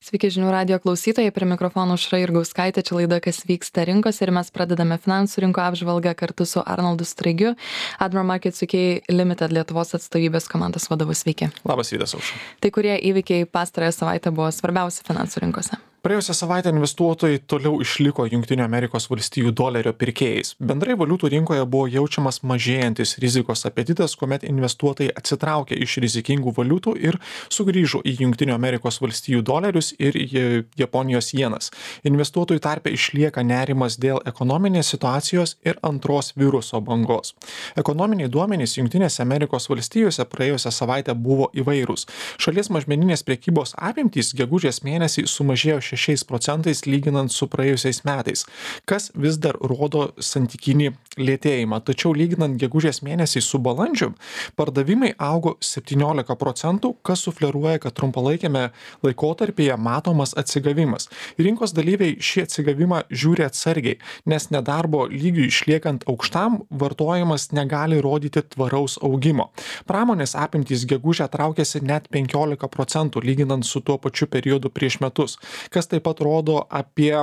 Sveiki žinių radijo klausytojai, prie mikrofono Aušra Jurgauskaitė, čia laida Kas vyksta rinkose ir mes pradedame finansų rinkų apžvalgą kartu su Arnoldu Straigiu, Admiral Markets UK Limited Lietuvos atstovybės komandos vadovu. Sveiki. Labas rytas, Aušra. Tai kurie įvykiai pastarąją savaitę buvo svarbiausi finansų rinkose? Praėjusią savaitę investuotojai toliau išliko Jungtinių Amerikos valstijų dolerio pirkėjais. Bendrai valiutų rinkoje buvo jaučiamas mažėjantis rizikos apetitas, kuomet investuotojai atsitraukė iš rizikingų valiutų ir sugrįžo į Jungtinių Amerikos valstijų dolerius ir Japonijos jenas. Investuotojų tarpe išlieka nerimas dėl ekonominės situacijos ir antros viruso bangos. Ekonominiai duomenys Jungtinėse Amerikos valstijose praėjusią savaitę buvo įvairūs. Šalies mažmeninės prekybos apimtys gegužės mėnesį sumažėjo 6% lyginant su praėjusiais metais, kas vis dar rodo santykinį lėtėjimą. Tačiau lyginant gegužės mėnesį su balandžiu, pardavimai augo 17%, kas sufleruoja, kad trumpalaikėme laikotarpyje matomas atsigavimas. Rinkos dalyviai šį atsigavimą žiūri atsargiai, nes nedarbo lygiui išliekant aukštam, vartojimas negali rodyti tvaraus augimo. Pramonės apimtys gegužę traukėsi net 15% lyginant su tuo pačiu periodu prieš metus, kas taip pat rodo apie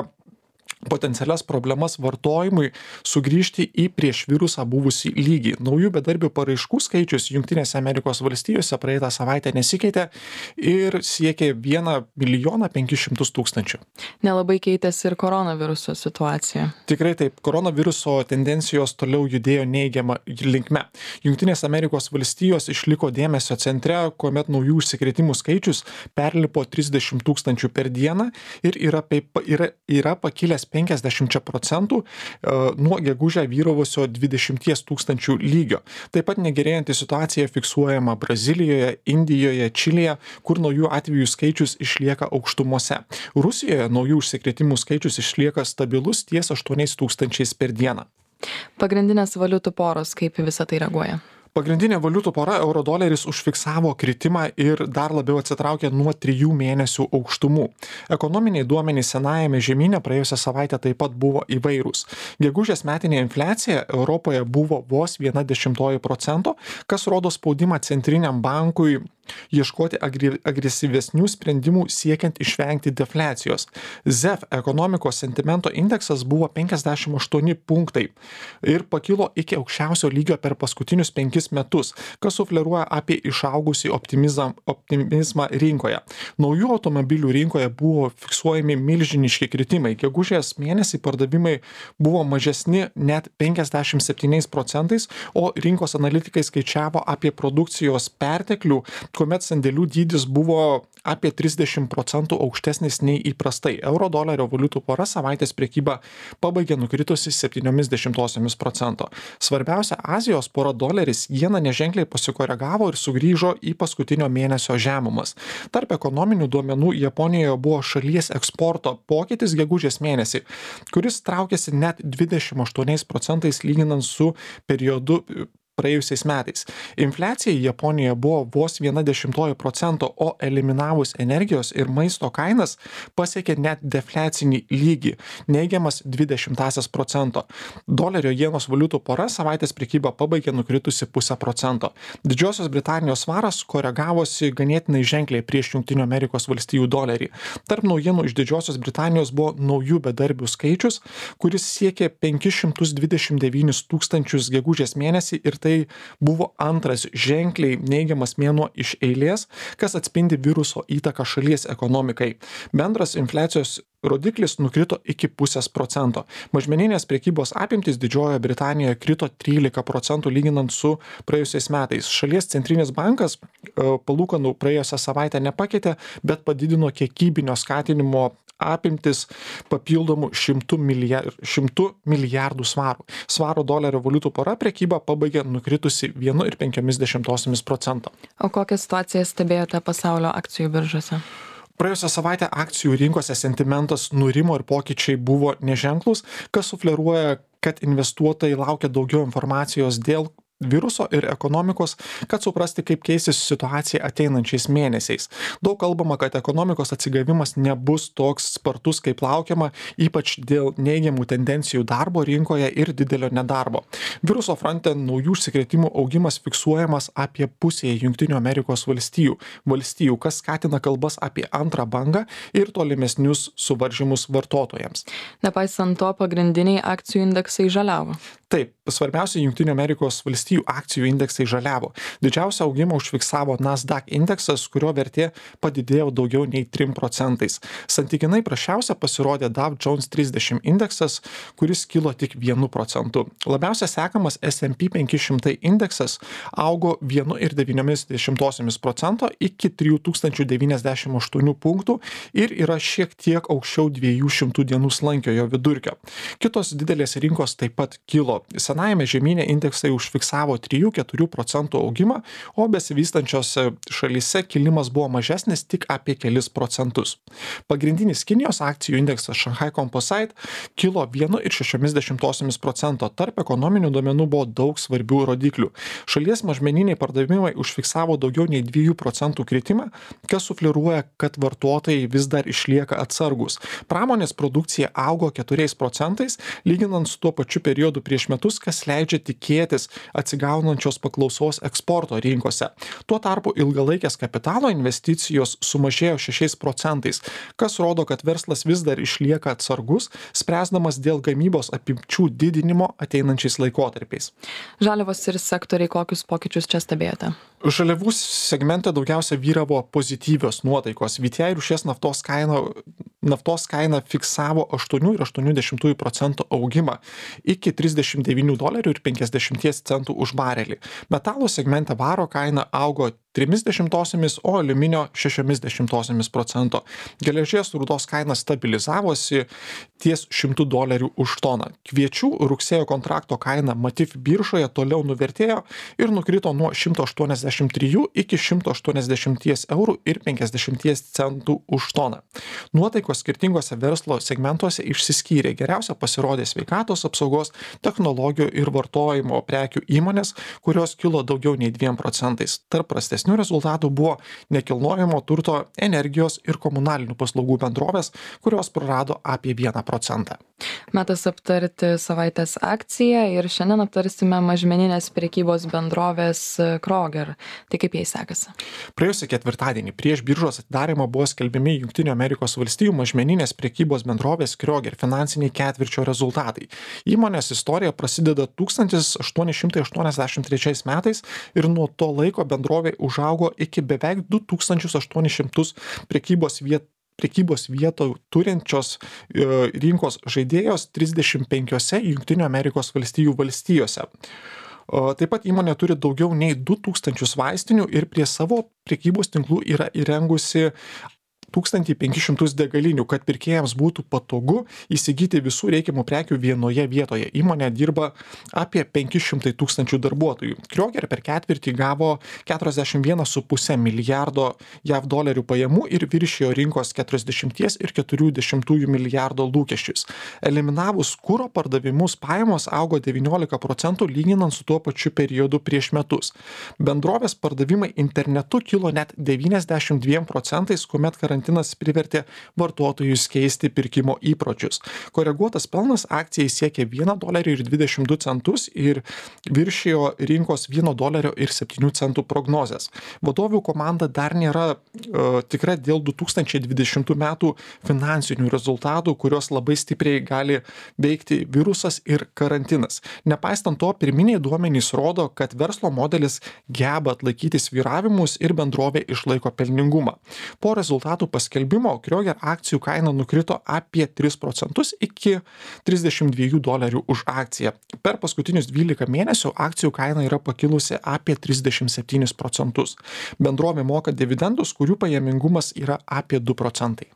potencialias problemas vartojimui sugrįžti į prieš virusą buvusį lygį. Naujų bedarbių paraiškų skaičius Jungtinėse Amerikos valstijose praeitą savaitę nesikeitė ir siekė 1 500 000. Nelabai keitėsi ir koronaviruso situacija. Tikrai taip, koronaviruso tendencijos toliau judėjo neigiama linkme. Jungtinės Amerikos valstijos išliko dėmesio centre, kuomet naujų užsikrėtimų skaičius perlipo 30 000 per dieną ir yra pakilęs 50% nuo gegužę vyravusio 20 000 lygio. Taip pat negerėjanti situacija fiksuojama Brazilijoje, Indijoje, Čilėje, kur naujų atvejų skaičius išlieka aukštumose. Rusijoje naujų užsikrėtimų skaičius išlieka stabilus ties 8 000 per dieną. Pagrindinės valiutų poros kaip visą tai reaguoja? Pagrindinė valiutų pora euro-doleris užfiksavo kritimą ir dar labiau atsitraukė nuo 3 mėnesių aukštumų. Ekonominiai duomenys senajame žemyne praėjusią savaitę taip pat buvo įvairūs. Gegužės metinė infliacija Europoje buvo vos 0,1%, kas rodo spaudimą centriniam bankui ieškoti agresyvesnių sprendimų siekiant išvengti defliacijos. ZEF ekonomikos sentimento indeksas buvo 58 punktai ir pakilo iki aukščiausio lygio per paskutinius 5 metus, kas sufleruoja apie išaugusį optimizmą rinkoje. Naujų automobilių rinkoje buvo fiksuojami milžiniški kritimai. Gegužės mėnesį pardavimai buvo mažesni net 57%, o rinkos analitikai skaičiavo apie produkcijos perteklių, kuomet sandėlių dydis buvo apie 30% aukštesnis nei įprastai. Euro-dolerio valiutų pora savaitės prekybą pabaigė nukritusi 0,7%. Svarbiausia Azijos pora doleris jena neženkliai pasikoregavo ir sugrįžo į paskutinio mėnesio žemumas. Tarp ekonominių duomenų Japonijoje buvo šalies eksporto pokytis gegužės mėnesį, kuris traukėsi net 28% lyginant su periodu praėjusiais metais. Infliacija Japonijoje buvo vos 0,1%, o eliminavus energijos ir maisto kainas pasiekė net defliacinį lygį, neigiamas 0,2%. Dolerio jenos valiutų pora savaitės prekybą pabaigė nukritusi 0,5%. Didžiosios Britanijos svaras koregavosi ganėtinai ženkliai prieš Jungtinių Amerikos valstijų dolerį. Tarp naujienų iš Didžiosios Britanijos buvo naujų bedarbių skaičius, kuris siekė 529 000 gegužės mėnesį ir tai buvo antras ženkliai neigiamas mėnuo iš eilės, kas atspindi viruso įtaką šalies ekonomikai. Bendras infliacijos rodiklis nukrito iki 0,5%. Mažmeninės prekybos apimtys Didžiojoje Britanijoje krito 13% lyginant su praėjusiais metais. Šalies centrinis bankas palūkanų praėjusią savaitę nepakeitė, bet padidino kiekybinio skatinimo apimtis papildomų 100 milijardų svarų. Svaro dolerio valiutų pora prekybą pabaigė nukritusi 1,5%. O kokią situaciją stebėjote pasaulio akcijų biržose? Praėjusią savaitę akcijų rinkose sentimentas nurimo ir pokyčiai buvo neženklus, kas sufleruoja, kad investuotojai laukia daugiau informacijos dėl viruso ir ekonomikos, kad suprasti, kaip keisis situacija ateinančiais mėnesiais. Daug kalbama, kad ekonomikos atsigavimas nebus toks spartus, kaip laukiama, ypač dėl neigiamų tendencijų darbo rinkoje ir didelio nedarbo. Viruso fronte naujų užsikrėtimų augimas fiksuojamas apie pusėje Jungtinių Amerikos valstijų, kas skatina kalbas apie antrą bangą ir tolimesnius suvaržymus vartotojams. Nepaisant to, pagrindiniai akcijų indeksai žaliavo. Taip, svarbiausia Jungtinių Amerikos valstijų akcijų indeksai žaliavo. Didžiausią augimą užfiksavo Nasdaq indeksas, kurio vertė padidėjo daugiau nei 3%. Santykinai prasčiausia pasirodė Dow Jones 30 indeksas, kuris kilo tik 1%. Labiausia sekamas S&P 500 indeksas augo 1,9% iki 3098 punktų ir yra šiek tiek aukščiau 200 dienų slankiojo vidurkio. Kitos didelės rinkos taip pat kilo. Senajame žemyne indeksai užfiksavo 3-4% augimą, o besivystančiose šalyse kilimas buvo mažesnis tik apie kelis procentus. Pagrindinis Kinijos akcijų indeksas Shanghai Composite kilo 1,6%. Tarp ekonominių duomenų buvo daug svarbių rodiklių. Šalies mažmeniniai pardavimai užfiksavo daugiau nei 2% kritimą, kas sufleruoja, kad vartotojai vis dar išlieka atsargus. Pramonės produkcija augo 4%, lyginant su tuo pačiu periodu prieš metus, kas leidžia tikėtis atsigaunančios paklausos eksporto rinkose. Tuo tarpu ilgalaikės kapitalo investicijos sumažėjo 6%, kas rodo, kad verslas vis dar išlieka atsargus, spręsdamas dėl gamybos apimčių didinimo ateinančiais laikotarpiais. Žaliavos ir sektoriai, kokius pokyčius čia stebėjote? Žaliavų segmente daugiausia vyravo pozityvios nuotaikos. VTI rūšies naftos kaina fiksavo 8,8% augimą iki $39,50 už barelį. Metalų segmente varo kaina augo 0,3%, o aliuminio 0,6%. Geležies rūdos kaina stabilizavosi ties $100 už toną. Kviečių rugsėjo kontrakto kaina Matif biržoje toliau nuvertėjo ir nukrito nuo 183 iki €180,50 už toną. Nuotaikos skirtingose verslo segmentuose išsiskyrė. Geriausia pasirodė sveikatos apsaugos, technologijų ir vartojimo prekių įmonės, kurios kilo daugiau nei 2%. Tarp prastesnių rezultatų buvo nekilnojamo turto, energijos ir komunalinių paslaugų bendrovės, kurios prarado apie 1%. Metas aptarti savaitės akciją ir šiandien aptarsime mažmeninės prekybos bendrovės Kroger. Tai kaip jai sekasi? Praėjusį ketvirtadienį prieš biržos atidarymą buvo skelbiami Jungtinių Amerikos valstijų mažmeninės prekybos bendrovės Kroger finansiniai ketvirčio rezultatai. Įmonės istorija prasideda 1883 metais ir nuo to laiko bendrovė užaugo iki beveik 2800 prekybos vietų turinčios rinkos žaidėjos 35 Jungtinių Amerikos valstijų valstijose. Taip pat įmonė turi daugiau nei 2000 vaistinių ir prie savo prekybos tinklų yra įrengusi 1500 degalinių, kad pirkėjams būtų patogu įsigyti visų reikiamų prekių vienoje vietoje. Įmonė dirba apie 500 tūkstančių darbuotojų. Kroger per ketvirtį gavo $41,5 milijardo JAV dolerių pajamų ir viršijo rinkos 40,4 milijardo lūkesčius. Eliminavus kuro pardavimus pajamos augo 19% lyginant su tuo pačiu periodu prieš metus. Bendrovės pardavimai internetu kilo net 92%, kuomet karantinas privertė vartotojus keisti pirkimo įpročius. Koreguotas pelnas akcijai siekė $1,22 ir viršijo rinkos $1,07 prognozes. Vadovių komanda dar nėra tikra dėl 2020 metų finansinių rezultatų, kurios labai stipriai gali veikti virusas ir karantinas. Nepaisant to, pirminiai duomenys rodo, kad verslo modelis geba atlaikyti svyravimus ir bendrovė išlaiko pelningumą. Po rezultatų paskelbimo Kroger akcijų kaina nukrito apie 3% iki $32 už akciją. Per paskutinius 12 mėnesių akcijų kaina yra pakilusi apie 37%. Bendrovė moka dividendus, kurių pajamingumas yra apie 2%.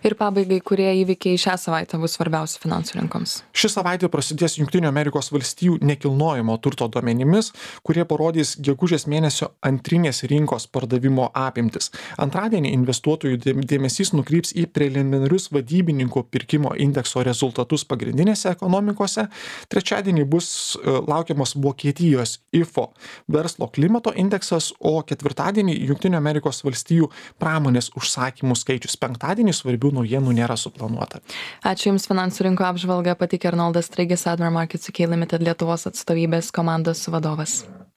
Ir pabaigai, kurie įvykiai šią savaitę bus svarbiausi finansų rinkoms? Ši savaitė prasidės Junktinių Amerikos valstijų nekilnojamo turto duomenimis, kurie parodys gegužės mėnesio antrinės rinkos pardavimo apimtis. Antradienį investuotojų dėmesys nukryps į preliminarius vadybininkų pirkimo indekso rezultatus pagrindinėse ekonomikose. Trečiadienį bus laukiamas Vokietijos IFO verslo klimato indeksas, o ketvirtadienį Junktinių Amerikos valstijų pramonės užsakymų skaičius. Penktadienį svarbių naujienų nėra suplanuota. Ačiū Jums, finansų rinko apžvalgą pateikė Arnoldas Straigis, Admiral Markets UK Limited Lietuvos atstovybės komandos vadovas.